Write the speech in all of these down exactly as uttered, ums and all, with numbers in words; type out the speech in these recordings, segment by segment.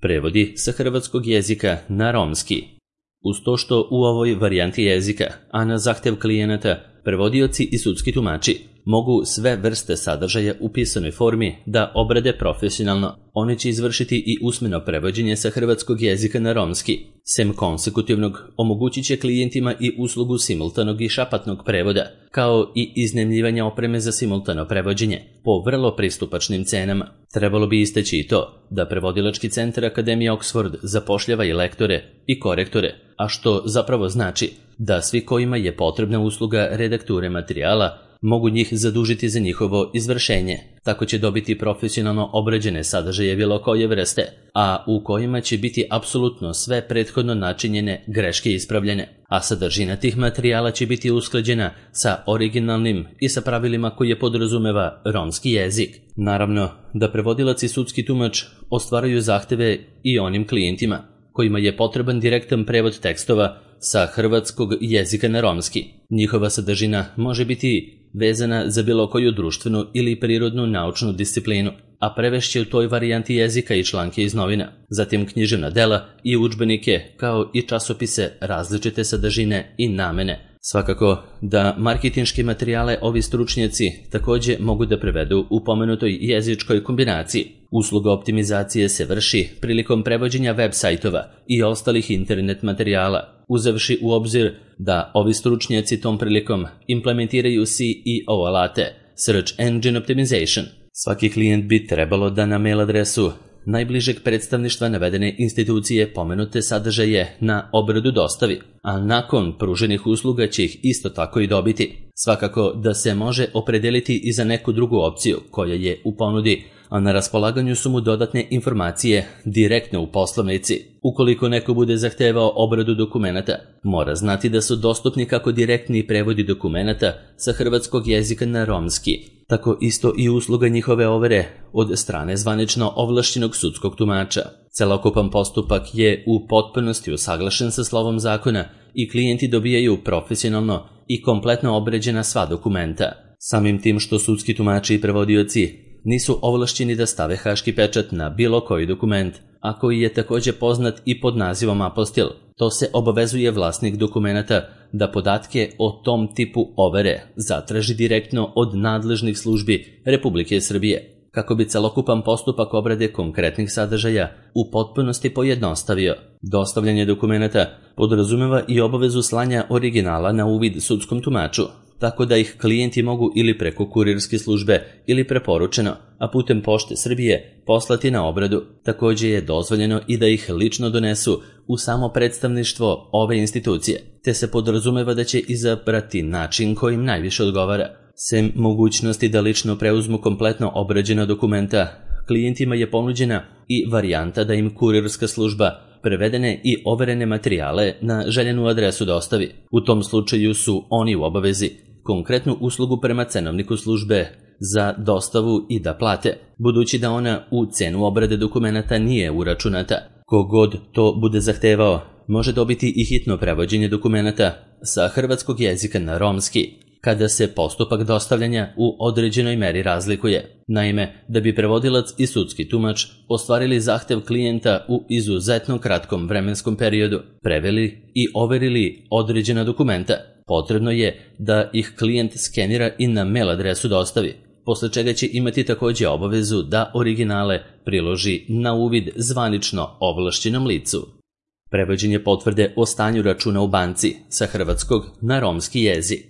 Prevodi sa hrvatskog jezika na romski. Uz to što u ovoj varijanti jezika, a na zahtev klijenata, prevodioci i sudski tumači mogu sve vrste sadržaja u pisanoj formi da obrade profesionalno. Oni će izvršiti i usmeno prevođenje sa hrvatskog jezika na romski. Sem konsekutivnog, omogućit će klijentima i uslugu simultanog i šapatnog prevoda, kao i iznajmljivanja opreme za simultano prevođenje, po vrlo pristupačnim cenama. Trebalo bi istaći i to da Prevodilački centar Akademije Oxford zapošljava i lektore i korektore, a što zapravo znači da svi kojima je potrebna usluga redakture materijala mogu njih zadužiti za njihovo izvršenje. Tako će dobiti profesionalno obrađene sadržaje bilo koje vrste, a u kojima će biti apsolutno sve prethodno načinjene greške ispravljene, a sadržina tih materijala će biti usklađena sa originalnim i sa pravilima koje podrazumeva romski jezik. Naravno da prevodilac i sudski tumač ostvaruju zahteve i onim klijentima kojima je potreban direktan prevod tekstova sa hrvatskog jezika na romski. Njihova sadržina može biti vezana za bilo koju društvenu ili prirodnu naučnu disciplinu, a prevešće u toj varijanti jezika i članke iz novina, zatim književna dela i udžbenike, kao i časopise različite sadržine i namene. Svakako da marketinške materijale ovi stručnjaci takođe mogu da prevedu u pomenutoj jezičkoj kombinaciji. Usluga optimizacije se vrši prilikom prevođenja web sajtova i ostalih internet materijala, uzevši u obzir da ovi stručnjaci tom prilikom implementiraju C E O alate, Search Engine Optimization. Svaki klijent bi trebalo da na mail adresu najbližeg predstavništva navedene institucije pomenute sadržaje na obradu dostavi, a nakon pruženih usluga će ih isto tako i dobiti. Svakako da se može opredeliti i za neku drugu opciju koja je u ponudi, a na raspolaganju su mu dodatne informacije direktno u poslovnici. Ukoliko neko bude zahtevao obradu dokumenata, mora znati da su dostupni kako direktni prevodi dokumenata sa hrvatskog jezika na romski, tako isto i usluga njihove overe od strane zvanično ovlašćenog sudskog tumača. Celokupan postupak je u potpunosti usaglašen sa slovom zakona i klijenti dobijaju profesionalno i kompletno obrađena sva dokumenta. Samim tim što sudski tumači i prevodioci nisu ovlašćeni da stave haški pečat na bilo koji dokument, a koji je takođe poznat i pod nazivom apostil. To se obavezuje vlasnik dokumenata da podatke o tom tipu overe zatraži direktno od nadležnih službi Republike Srbije, kako bi celokupan postupak obrade konkretnih sadržaja u potpunosti pojednostavio. Dostavljanje dokumenata podrazumeva i obavezu slanja originala na uvid sudskom tumaču, tako da ih klijenti mogu ili preko kurirske službe ili preporučeno, a putem Pošte Srbije poslati na obradu. Takođe je dozvoljeno i da ih lično donesu u samo predstavništvo ove institucije, te se podrazumeva da će izabrati način kojim najviše odgovara. Sem mogućnosti da lično preuzmu kompletno obrađena dokumenta, klijentima je ponuđena i varijanta da im kurirska služba prevedene i overene materijale na željenu adresu dostavi. U tom slučaju su oni u obavezi konkretnu uslugu prema cenovniku službe za dostavu i da plate, budući da ona u cenu obrade dokumenata nije uračunata. Kogod to bude zahtevao može dobiti i hitno prevođenje dokumenata sa hrvatskog jezika na romski, kada se postupak dostavljanja u određenoj meri razlikuje. Naime, da bi prevodilac i sudski tumač ostvarili zahtev klijenta u izuzetno kratkom vremenskom periodu, preveli i overili određena dokumenta, potrebno je da ih klijent skenira i na mail adresu dostavi, posle čega će imati takođe obavezu da originale priloži na uvid zvanično ovlašćenom licu. Prevođenje potvrde o stanju računa u banci sa hrvatskog na romski jezik.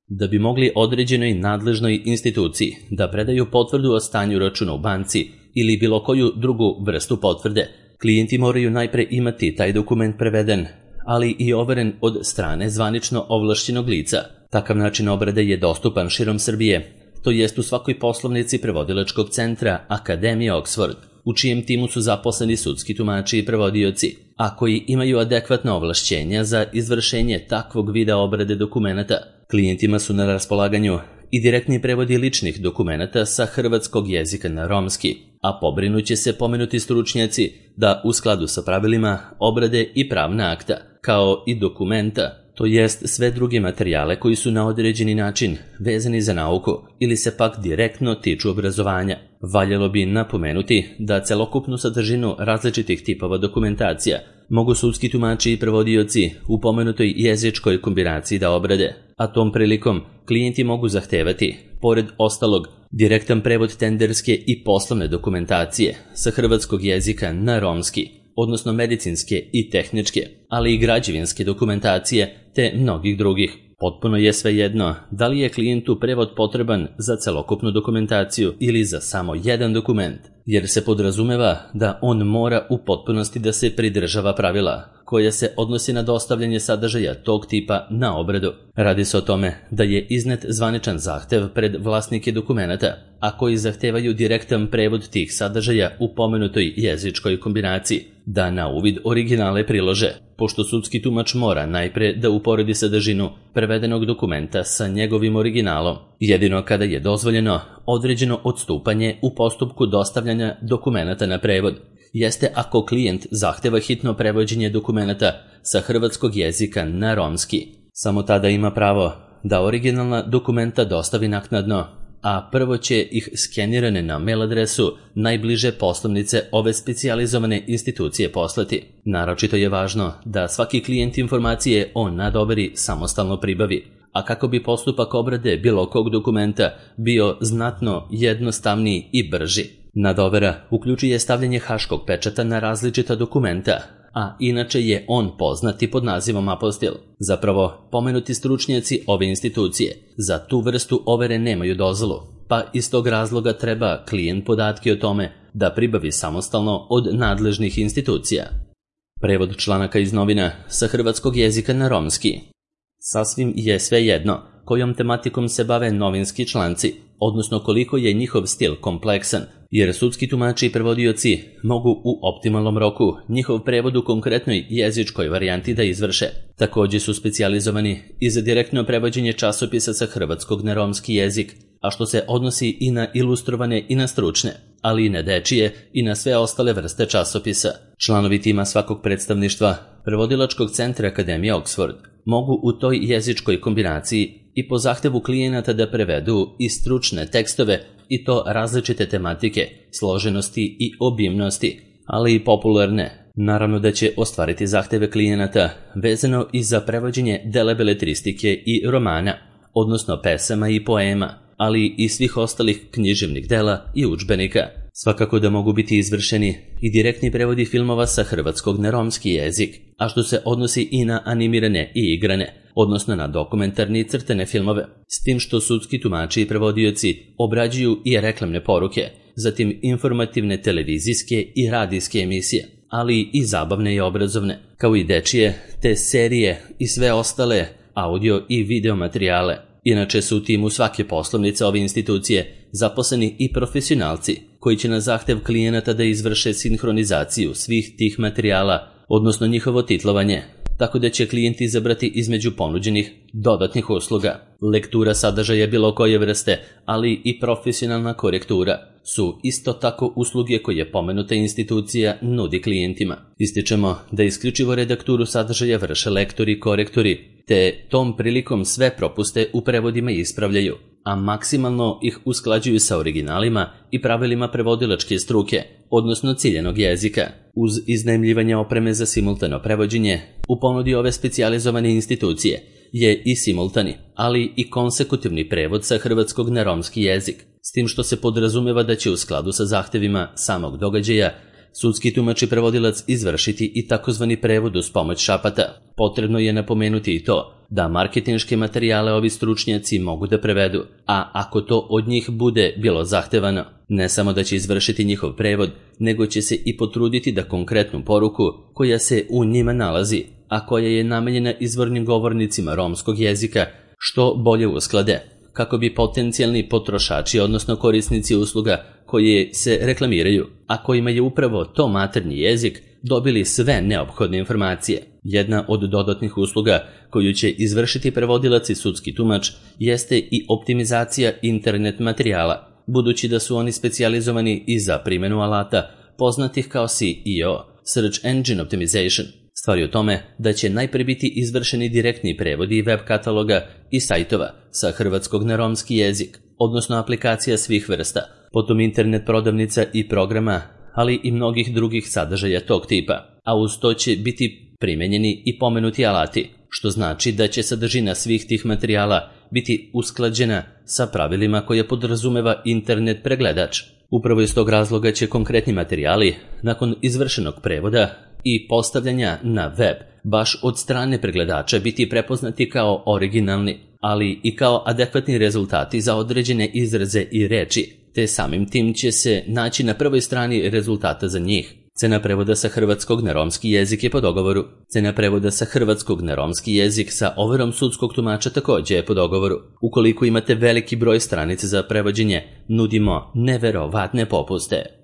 Da bi mogli određenoj nadležnoj instituciji da predaju potvrdu o stanju računa u banci ili bilo koju drugu vrstu potvrde, klijenti moraju najpre imati taj dokument preveden, ali i overen od strane zvanično ovlašćenog lica. Takav način obrade je dostupan širom Srbije, to jest u svakoj poslovnici Prevodilačkog centra Akademije Oxford, u čijem timu su zaposleni sudski tumači i prevodioci, a koji imaju adekvatna ovlašćenja za izvršenje takvog vida obrade dokumenata. Klijentima su na raspolaganju i direktni prevodi ličnih dokumenata sa hrvatskog jezika na romski, a pobrinuće se pomenuti stručnjaci da u skladu sa pravilima obrade i pravna akta, kao i dokumenta, to jest sve druge materijale koji su na određeni način vezani za nauku ili se pak direktno tiču obrazovanja. Valjalo bi napomenuti da celokupnu sadržinu različitih tipova dokumentacija mogu sudski tumači i prevodioci u pomenutoj jezičkoj kombinaciji da obrade, a tom prilikom klijenti mogu zahtevati, pored ostalog, direktan prevod tenderske i poslovne dokumentacije sa hrvatskog jezika na romski, odnosno medicinske i tehničke, ali i građevinske dokumentacije te mnogih drugih. Potpuno je svejedno da li je klijentu prevod potreban za celokupnu dokumentaciju ili za samo jedan dokument, jer se podrazumeva da on mora u potpunosti da se pridržava pravila koja se odnosi na dostavljanje sadržaja tog tipa na obradu. Radi se o tome da je iznet zvaničan zahtev pred vlasnike dokumenata, a koji zahtevaju direktan prevod tih sadržaja u pomenutoj jezičkoj kombinaciji, da na uvid originale prilože, pošto sudski tumač mora najpre da uporedi sadržinu prevedenog dokumenta sa njegovim originalom, jedino kada je dozvoljeno određeno odstupanje u postupku dostavljanja dokumenata na prevod. Jeste ako klijent zahteva hitno prevođenje dokumenata sa hrvatskog jezika na romski. Samo tada ima pravo da originalna dokumenta dostavi naknadno, a prvo će ih skenirane na mail adresu najbliže poslovnice ove specijalizovane institucije poslati. Naročito je važno da svaki klijent informacije o nadoveri samostalno pribavi, a kako bi postupak obrade bilo kog dokumenta bio znatno jednostavniji i brži. Nadovera uključuje stavljanje haškog pečata na različita dokumenta, a inače je on poznati pod nazivom apostil. Zapravo, pomenuti stručnjaci ove institucije za tu vrstu overe nemaju dozvolu, pa iz tog razloga treba klijent podatke o tome da pribavi samostalno od nadležnih institucija. Prevod članaka iz novina sa hrvatskog jezika na romski. Sasvim je svejedno kojom tematikom se bave novinski članci, odnosno koliko je njihov stil kompleksan, jer sudski tumači i prevodioci mogu u optimalnom roku njihov prevod u konkretnoj jezičkoj varijanti da izvrše. Također su specijalizovani i za direktno prevođenje časopisa sa hrvatskog na romski jezik, a što se odnosi i na ilustrovane i na stručne, ali i na dečije i na sve ostale vrste časopisa. Članovi tima svakog predstavništva Prevodilačkog centra Akademije Oxford mogu u toj jezičkoj kombinaciji i po zahtevu klijenata da prevedu i stručne tekstove, i to različite tematike, složenosti i obimnosti, ali i popularne. Naravno da će ostvariti zahteve klijenata vezano i za prevođenje dela beletristike i romana, odnosno pesama i poema, ali i svih ostalih književnih dela i udžbenika. Svakako da mogu biti izvršeni i direktni prevodi filmova sa hrvatskog na romski jezik, a što se odnosi i na animirane i igrane, odnosno na dokumentarne i crtene filmove, s tim što sudski tumači i prevodioci obrađuju i reklamne poruke, zatim informativne televizijske i radijske emisije, ali i zabavne i obrazovne, kao i dečije, te serije i sve ostale audio i video materijale. Inače su u timu svake poslovnice ove institucije zaposleni i profesionalci koji će na zahtev klijenata da izvrše sinhronizaciju svih tih materijala, odnosno njihovo titlovanje, tako da će klijent izabrati između ponuđenih dodatnih usluga. Lektura sadržaja bilo koje vrste, ali i profesionalna korektura su isto tako usluge koje pomenuta institucija nudi klijentima. Ističemo da isključivo redakturu sadržaja vrše lektori i korektori, te tom prilikom sve propuste u prevodima ispravljaju, a maksimalno ih usklađuju sa originalima i pravilima prevodilačke struke, odnosno ciljenog jezika. Uz iznajmljivanje opreme za simultano prevođenje, u ponudi ove specijalizovane institucije je i simultani, ali i konsekutivni prevod sa hrvatskog na romski jezik, s tim što se podrazumeva da će u skladu sa zahtevima samog događaja sudski tumač i prevodilac izvršiti i takozvani prevod uz pomoć šapata. Potrebno je napomenuti i to da marketinške materijale ovi stručnjaci mogu da prevedu, a ako to od njih bude bilo zahtevano, ne samo da će izvršiti njihov prevod, nego će se i potruditi da konkretnu poruku koja se u njima nalazi, a koja je namenjena izvornim govornicima romskog jezika, što bolje usklade, kako bi potencijalni potrošači, odnosno korisnici usluga koje se reklamiraju, a kojima je upravo to maternji jezik, dobili sve neophodne informacije. Jedna od dodatnih usluga koju će izvršiti prevodilac i sudski tumač jeste i optimizacija internet materijala, budući da su oni specijalizovani i za primjenu alata poznatih kao S E O, Search Engine Optimization. Stvar je u tome da će najprije biti izvršeni direktni prevodi web kataloga i sajtova sa hrvatskog na romski jezik, odnosno aplikacija svih vrsta, potom internet prodavnica i programa, ali i mnogih drugih sadržaja tog tipa, a uz to će biti primenjeni i pomenuti alati, što znači da će sadržina svih tih materijala biti usklađena sa pravilima koje podrazumeva internet pregledač. Upravo iz tog razloga će konkretni materijali, nakon izvršenog prevoda i postavljanja na web, baš od strane pregledača biti prepoznati kao originalni, ali i kao adekvatni rezultati za određene izraze i reči, te samim tim će se naći na prvoj strani rezultata za njih. Cena prevoda sa hrvatskog na romski jezik je po dogovoru. Cena prevoda sa hrvatskog na romski jezik sa overom sudskog tumača takođe je po dogovoru. Ukoliko imate veliki broj stranica za prevođenje, nudimo neverovatne popuste.